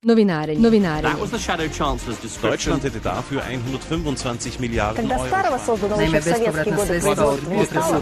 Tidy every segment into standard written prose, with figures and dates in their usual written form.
Novinarenje. That was the Shadow Chancellor's description. Deutschland hätte dafür 125 Milijarden Euro. Naime, bespovratna sredstva od potresa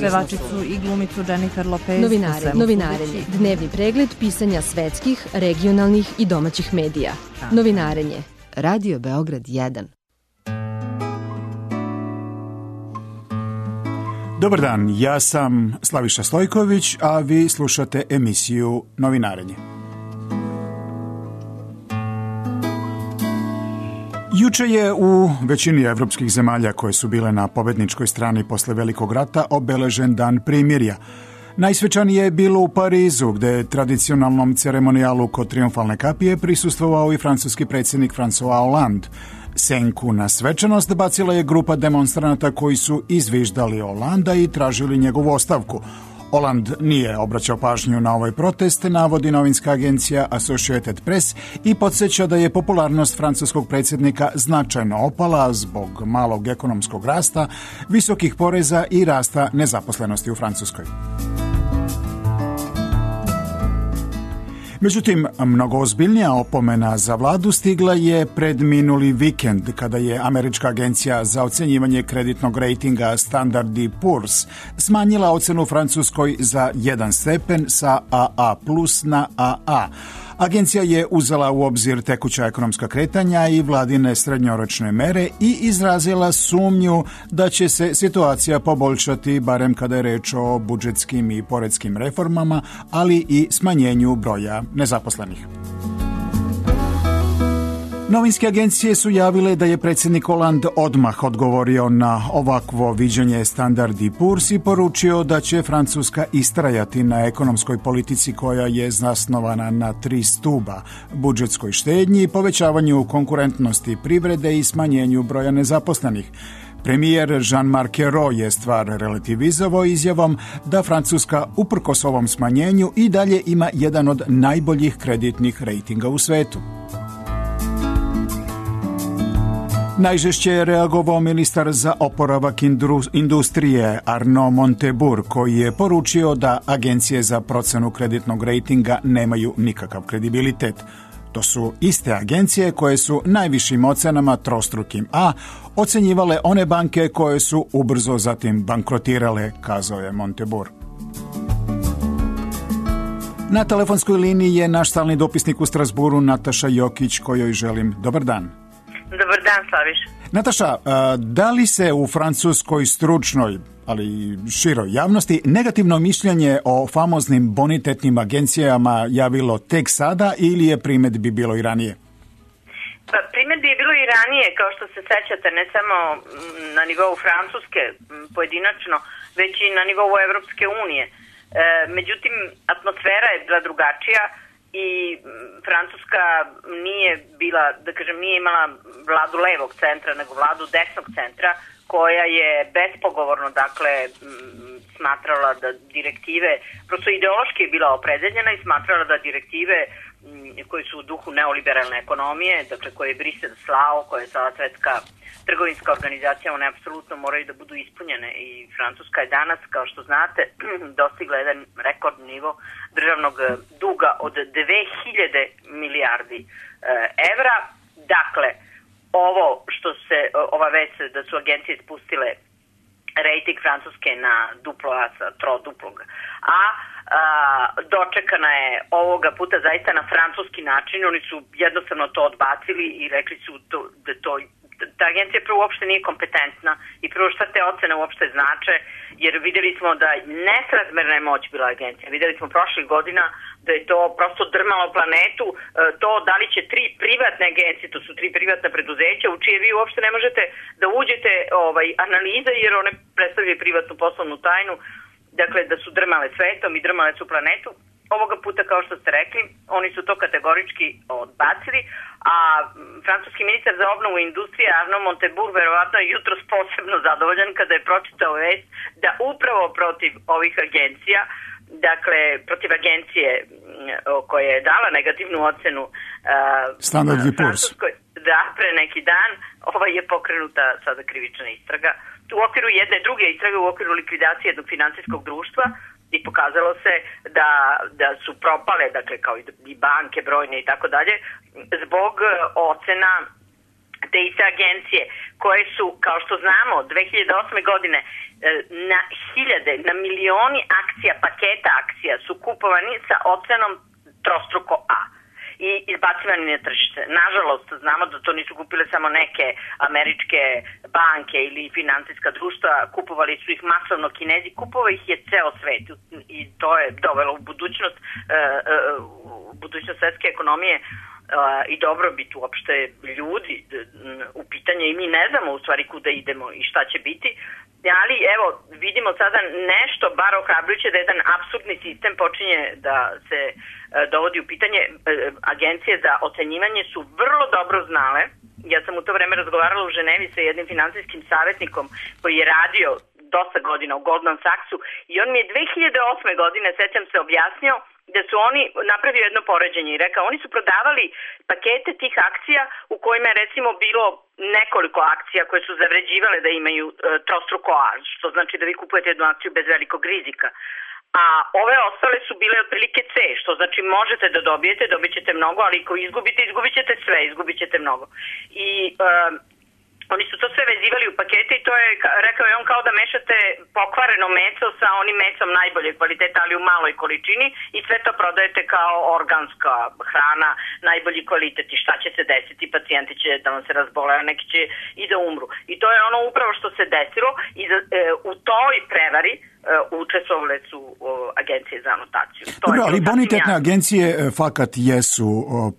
pevačicu i glumicu Jennifer Lopez. Novinarenje. Dnevni pregled pisanja svetskih, regionalnih i domaćih medija. Novinarenje. Radio Beograd 1. Dobar dan, ja sam Slaviša Stojković, a vi slušate emisiju Novinarenje. Juče je u većini evropskih zemalja koje su bile na pobedničkoj strani posle Velikog rata obeležen dan primirja. Najsvečanije je bilo u Parizu, gde je tradicionalnom ceremonijalu kod Trijumfalne kapije prisustvovao i francuski predsjednik François Hollande. Senku na svečanost bacila je grupa demonstranata koji su izviždali Hollanda i tražili njegovu ostavku. Hollande nije obraćao pažnju na ovaj protest, navodi novinska agencija Associated Press i podsjeća da je popularnost francuskog predsjednika značajno opala zbog malog ekonomskog rasta, visokih poreza i rasta nezaposlenosti u Francuskoj. Međutim, mnogo ozbiljnija opomena za vladu stigla je pred minuli vikend, kada je američka agencija za ocenjivanje kreditnog rejtinga Standard & Poor's smanjila ocenu Francuskoj za 1 stepen sa AA+ na AA. Agencija je uzela u obzir tekuća ekonomska kretanja i vladine srednjoročne mere i izrazila sumnju da će se situacija poboljšati, barem kada je reč o budžetskim i poreskim reformama, ali i smanjenju broja nezaposlenih. Novinske agencije su javile da je predsjednik Hollande odmah odgovorio na ovakvo viđenje Standard & Poor's i poručio da će Francuska istrajati na ekonomskoj politici koja je zasnovana na 3 stuba: budžetskoj štednji, povećavanju konkurentnosti privrede i smanjenju broja nezaposlenih. Premijer Jean-Marc Ayrault je stvar relativizovao izjavom da Francuska, uprkos ovom smanjenju, i dalje ima jedan od najboljih kreditnih rejtinga u svetu. Najžešće je reagovao ministar za oporavak industrije Arnaud Montebourg, koji je poručio da agencije za procenu kreditnog rejtinga nemaju nikakav kredibilitet. To su iste agencije koje su najvišim ocenama trostrukim A ocenjivale one banke koje su ubrzo zatim bankrotirale, kazao je Montebourg. Na telefonskoj liniji je naš stalni dopisnik u Strasburu Nataša Jokić, kojoj želim dobar dan. Dobar dan, Slaviš. Nataša, da li se u francuskoj stručnoj, ali i široj javnosti, negativno mišljenje o famoznim bonitetnim agencijama javilo tek sada ili je primedbi bilo i ranije? Pa, primedbi je bilo i ranije, kao što se sećate, ne samo na nivou Francuske pojedinačno, već i na nivou Evropske unije. Međutim, atmosfera je bila drugačija i Francuska nije bila, da kažem, nije imala vladu levog centra, nego vladu desnog centra, koja je bespogovorno, dakle, smatrala da direktive, prosto ideološki je bila opredeljena i smatrala da direktive koje su u duhu neoliberalne ekonomije, dakle, koje je Brisel slao, koje je sada Svetska trgovinska organizacija, one apsolutno moraju da budu ispunjene i Francuska je danas, kao što znate, dostigla jedan rekordni nivo državnog duga od 2000 milijardi evra. Dakle, ovo što se, ova vest da su agencije spustile rejting Francuske na duplo A sa troduplog A, dočekana je ovoga puta zaista na francuski način. Oni su jednostavno to odbacili i rekli su da ta agencija prvo uopšte nije kompetentna i prvo šta te ocene uopšte znače, jer videli smo da nesrazmerna je moć bila agencija. Videli smo prošlih godina da je to prosto drmalo planetu, to da li će 3 privatne agencije, to su 3 privatna preduzeća u čije vi uopšte ne možete da uđete analize, jer one predstavljaju privatnu poslovnu tajnu, dakle da su drmale svetom i drmale su planetu. Ovoga puta, kao što ste rekli, oni su to kategorički odbacili, a francuski ministar za obnovu industrije Arnaud Montebourg verovatno je jutros posebno zadovoljan kada je pročitao vest da upravo protiv ovih agencija, dakle protiv agencije koja je dala negativnu ocenu Standard & Poor's, da, pre neki dan je pokrenuta sada krivična istraga u okviru jedne druge istrage, u okviru likvidacije jednog finansijskog društva, i pokazalo se da su propale, dakle kao i banke brojne i tako dalje, zbog ocena te iste agencije koje su, kao što znamo, 2008. godine na hiljade, na milioni akcija, paketa akcija su kupovani sa ocenom trostruko A i izbacivani na tržište. Nažalost, znamo da to nisu kupile samo neke američke banke ili finansijska društva, kupovali su ih masovno Kinezi, kupovao ih je ceo svet i to je dovelo u budućnost svetske ekonomije i dobrobit uopšte ljudi u pitanje i mi ne znamo u stvari kuda idemo i šta će biti, ali evo vidimo sada nešto bar ohrabrujuće da jedan apsurdni sistem počinje da se dovodi u pitanje. Agencije za ocenjivanje su vrlo dobro znale, ja sam u to vreme razgovarala u Ženevi sa jednim finansijskim savjetnikom koji je radio dosta godina u Goldman Sachsu i on mi je 2008. godine, sećam se, objasnio da su oni napravili jedno poređenje i rekao, oni su prodavali pakete tih akcija u kojima je recimo bilo nekoliko akcija koje su zavređivale da imaju trostruko A, što znači da vi kupujete jednu akciju bez velikog rizika. A ove ostale su bile otprilike C, što znači možete da dobit ćete mnogo, ali ako izgubite, izgubit ćete sve, izgubit ćete mnogo. I oni su to sve vezivali u pakete i to je, rekao je on, kao da mešate pokvareno meso sa onim mesom najbolje kvaliteta, ali u maloj količini i sve to prodajete kao organska hrana, najbolji kvalitet i šta će se desiti, pacijenti će da vam se razbole, a neki će i da umru. I to je ono upravo što se desilo i u toj prevari učestvovale su agencije za anotaciju. Dobro, ali bonitetne agencije fakat jesu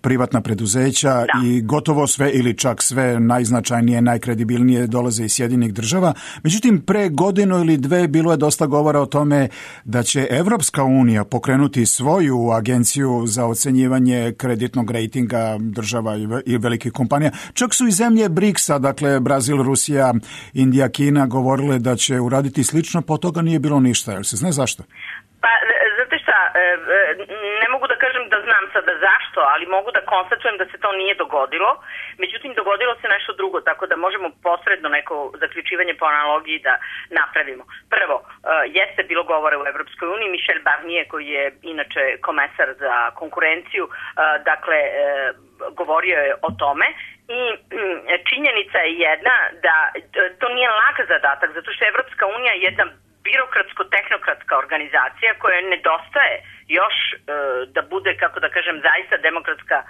privatna preduzeća i gotovo sve ili čak sve najznačajnije, najkredibilnije dolaze iz Sjedinjenih država. Međutim, pre godinu ili dve bilo je dosta govora o tome da će Evropska unija pokrenuti svoju agenciju za ocenjivanje kreditnog rejtinga država i velikih kompanija. Čak su i zemlje BRICS-a, dakle Brazil, Rusija, Indija, Kina, govorile da će uraditi slično, po toga nije bilo ništa. Jel se zna zašto? Pa, znate šta, ne mogu da kažem da znam sada zašto, ali mogu da konstatujem da se to nije dogodilo. Međutim, dogodilo se nešto drugo, tako da možemo posredno neko zaključivanje po analogiji da napravimo. Prvo, jeste bilo govore u Evropskoj uniji, Michel Barnier, koji je inače komesar za konkurenciju, dakle, govorio je o tome. I činjenica je jedna da to nije lak zadatak, zato što Evropska unija je jedna birokratsko-tehnokratska organizacija koja nedostaje još da bude, kako da kažem, zaista demokratska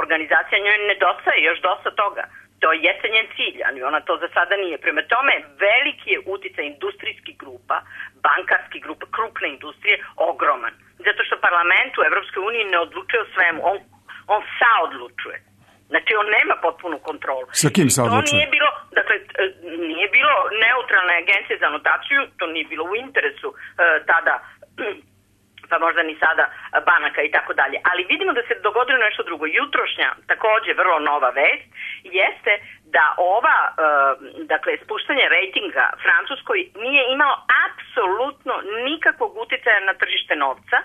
organizacija, njoj nedostaje još dosta toga. To jeste njen cilj, ali ona to za sada nije. Prema tome, veliki je uticaj industrijskih grupa, bankarskih grupa, krupne industrije, ogroman. Zato što parlament u Evropskoj uniji ne odlučuje o svemu, on saodlučuje. Znači, on nema potpunu kontrolu. Sa kim se odlučuje? To nije bilo, dakle, nije bilo neutralne agencije za anotaciju, to nije bilo u interesu tada, pa možda ni sada, banaka i tako dalje. Ali vidimo da se dogodilo nešto drugo. Jutrošnja, takođe vrlo nova vest, jeste da ova, dakle, spuštanje rejtinga Francuskoj nije imalo apsolutno nikakvog uticaja na tržište novca,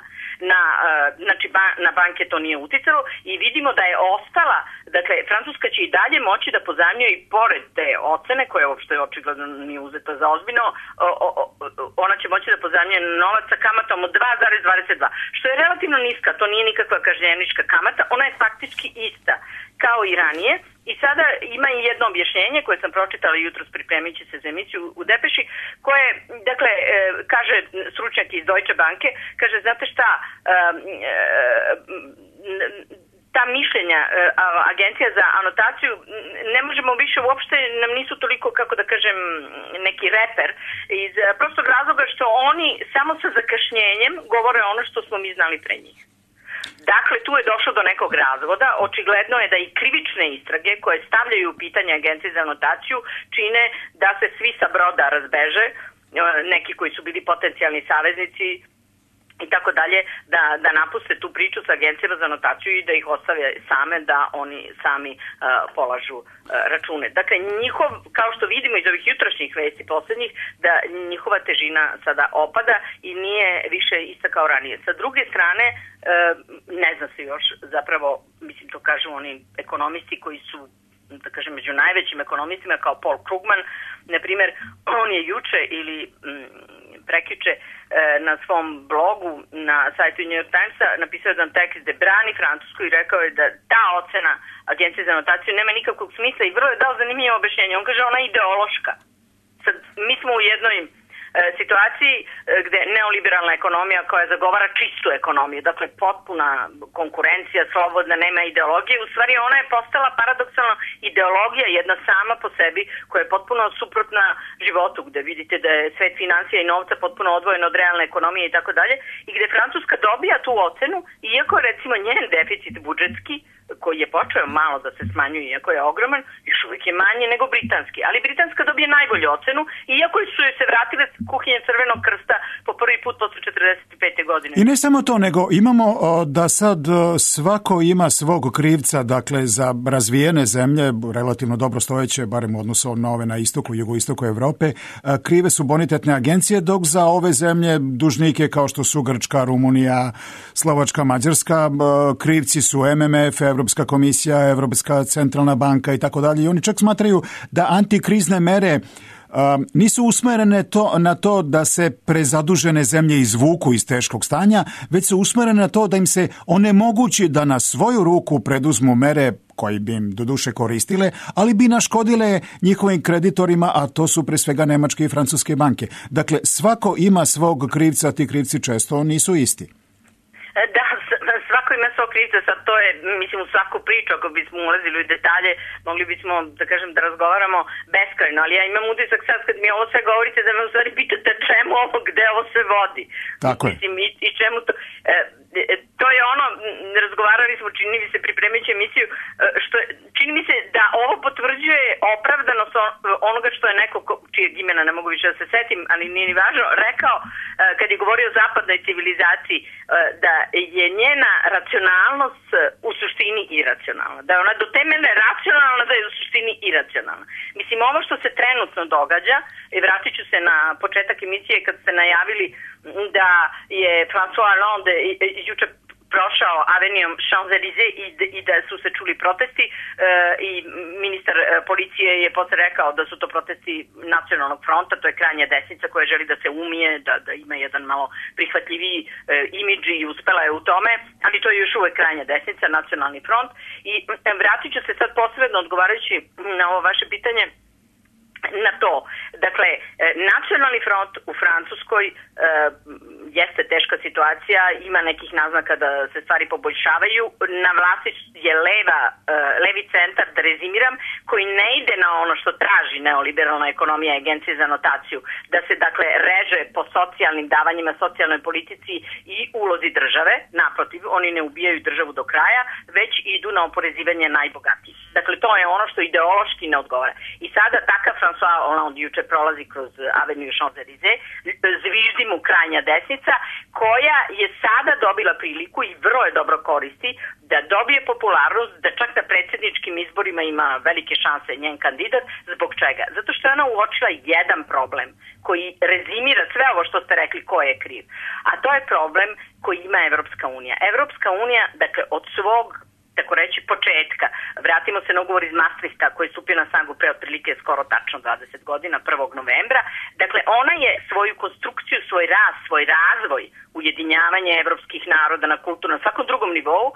znači na banke to nije uticalo i vidimo da je ostala, dakle, Francuska će i dalje moći da pozajmljuje i pored te ocene, koja uopšte očigledno nije uzeta za ozbiljno, ona će moći da pozajmljuje novac sa kamatom od 2,22, što je relativno niska, to nije nikakva kažnjenička kamata, ona je faktički ista kao i ranije. I sada ima i jedno objašnjenje koje sam pročitala jutros pripremići se za emisiju u Depeši, koje, dakle, kaže stručnjak iz Deutsche Banke, kaže, znate šta, ta mišljenja agencija za anotaciju ne možemo više, uopšte nam nisu toliko, kako da kažem, neki reper, iz prostog razloga što oni samo sa zakašnjenjem govore ono što smo mi znali pre njih. Dakle, tu je došlo do nekog razvoda. Očigledno je da i krivične istrage koje stavljaju u pitanje agencije za anotaciju čine da se svi sa broda razbeže, neki koji su bili potencijalni saveznici i tako dalje, da napuste tu priču sa agencijama za anotaciju i da ih ostave same, da oni sami polažu račune. Dakle, kao što vidimo iz ovih jutrošnjih vesti poslednjih, da njihova težina sada opada i nije više ista kao ranije. Sa druge strane, ne zna se još, zapravo, mislim, to kažu oni ekonomisti koji su, da kažem, među najvećim ekonomistima, kao Paul Krugman, na primjer, on je juče ili prekjuče na svom blogu na sajtu New York Timesa napisao jedan tekst gde brani Francusku i rekao je da ta ocena Agencije za notaciju nema nikakvog smisla i vrlo je dao zanimljivo objašnjenje. On kaže ona je ideološka. Sad, mi smo u jednoj situaciji gde neoliberalna ekonomija koja zagovara čistu ekonomiju, dakle potpuna konkurencija, slobodna, nema ideologije, u stvari ona je postala paradoksalno ideologija jedna sama po sebi koja je potpuno suprotna životu, gde vidite da je svet financija i novca potpuno odvojen od realne ekonomije i tako dalje, i gde Francuska dobija tu ocenu, iako recimo njen deficit budžetski koji je počeo malo da se smanjuje, iako je ogroman, još uvijek je manji nego britanski. Ali britanska dobije najbolju ocenu, iako su joj se vratile kuhinje Crvenog krsta po prvi put posle 45. godine. I ne samo to, nego imamo da sad svako ima svog krivca, dakle za razvijene zemlje, relativno dobro stojeće, barem u odnosu na ove na istoku, jugoistoku Evrope, krive su bonitetne agencije, dok za ove zemlje dužnike kao što su Grčka, Rumunija, Slovačka, Mađarska, krivci su MMF, Evropska komisija, Evropska centralna banka i tako dalje. I oni čak smatraju da antikrizne mere nisu usmerene na to da se prezadužene zemlje izvuku iz teškog stanja, već su usmerene na to da im se onemogući da na svoju ruku preduzmu mere koji bi im doduše koristile, ali bi naškodile njihovim kreditorima, a to su pre svega nemačke i francuske banke. Dakle, svako ima svog krivca, ti krivci često nisu isti. Da, svako ima svog krivca, sad to je, mislim, u svaku priču, ako bismo ulazili u detalje, mogli bismo, da kažem, da razgovaramo beskrajno, ali ja imam utisak sad kad mi ovo sve govorite da me u stvari pitate čemu ovo, gde ovo se vodi. Tako je. Mislim, i čemu to... to je ono, razgovarali smo, čini mi se, pripremajući emisiju, što je, čini mi se da ovo potvrđuje opravdanost onoga što je neko, čijeg imena ne mogu više da se setim, ali nije ni važno, rekao kad je govorio o zapadnoj civilizaciji, da je njena racionalnost u suštini iracionalna. Da je ona do temeljne racionalna, da je u suštini iracionalna. Mislim, ovo što se trenutno događa, i vratit ću se na početak emisije kad ste najavili da je François Hollande juče prošao avenijom Champs-Élysées i da su se čuli protesti i ministar policije je posle rekao da su to protesti Nacionalnog fronta, to je krajnja desnica koja želi da se umije, da ima jedan malo prihvatljiviji imidž i uspela je u tome, ali to je još uvek krajnja desnica, Nacionalni front. I vratit ću se sad posebno odgovarajući na ovo vaše pitanje na to. Dakle, Nacionalni front u Francuskoj jeste teška situacija, ima nekih naznaka da se stvari poboljšavaju. Na vlasti je levi centar, da rezimiram, koji ne ide na ono što traži neoliberalna ekonomija Agencije za notaciju, da se dakle reže po socijalnim davanjima, socijalnoj politici i ulozi države. Naprotiv, oni ne ubijaju državu do kraja, već idu na oporezivanje najbogatijih. Dakle, to je ono što ideološki ne odgovara. I sada takav François Hollande juče prolazi kroz aveniju Champs-Élysées, zviždi mu krajnja desnica, koja je sada dobila priliku i vrlo je dobro koristi da dobije popularnost, da čak na predsjedničkim izborima ima velike šanse njen kandidat. Zbog čega? Zato što je ona uočila jedan problem koji rezimira sve ovo što ste rekli ko je kriv. A to je problem koji ima Evropska unija. Evropska unija, dakle, od svog tako reći početka. Vratimo se na ugovor iz Maastrichta koji je stupio na snagu pre otprilike skoro tačno 20 godina, 1. novembra. Dakle, ona je svoju konstrukciju, svoj rast, svoj razvoj, ujedinjavanje evropskih naroda na kulturnom, svakom drugom nivou,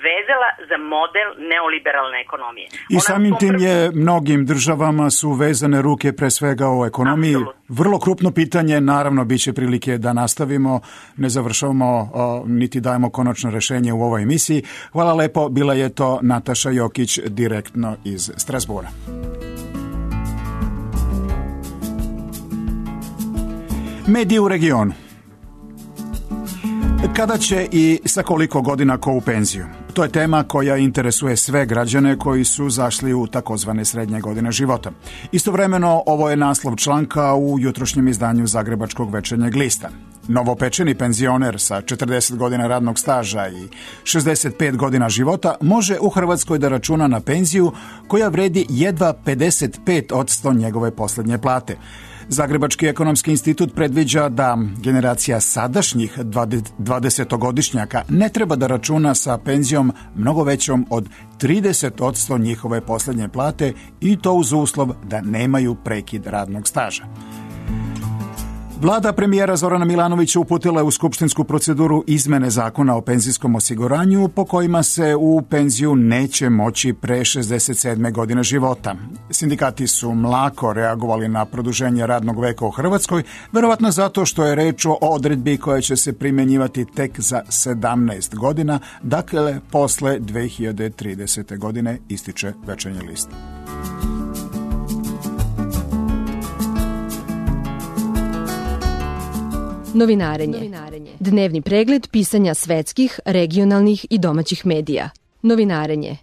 vezala za model neoliberalne ekonomije. I samim tim je mnogim državama su vezane ruke pre svega o ekonomiji. Absolutno. Vrlo krupno pitanje, naravno bit će prilike da nastavimo, ne završavamo niti dajemo konačno rešenje u ovoj emisiji. Hvala lepo, bila je to Nataša Jokić direktno iz Strasbura. Mediji u regionu. Kada će i sa koliko godina ko u penziju? To je tema koja interesuje sve građane koji su zašli u takozvane srednje godine života. Istovremeno, ovo je naslov članka u jutrošnjem izdanju Zagrebačkog večernjeg lista. Novopečeni penzioner sa 40 godina radnog staža i 65 godina života može u Hrvatskoj da računa na penziju koja vredi jedva 55% njegove posljednje plate. Zagrebački ekonomski institut predviđa da generacija sadašnjih 20-godišnjaka ne treba da računa sa penzijom mnogo većom od 30% njihove posljednje plate i to uz uslov da nemaju prekid radnog staža. Vlada premijera Zorana Milanovića uputila je u skupštinsku proceduru izmene zakona o penzijskom osiguranju po kojima se u penziju neće moći pre 67. godine života. Sindikati su mlako reagovali na produženje radnog veka u Hrvatskoj, verovatno zato što je reč o odredbi koja će se primjenjivati tek za 17 godina, dakle posle 2030. godine, ističe Večernji list. Novinarenje. Dnevni pregled pisanja svetskih, regionalnih i domaćih medija. Novinarenje.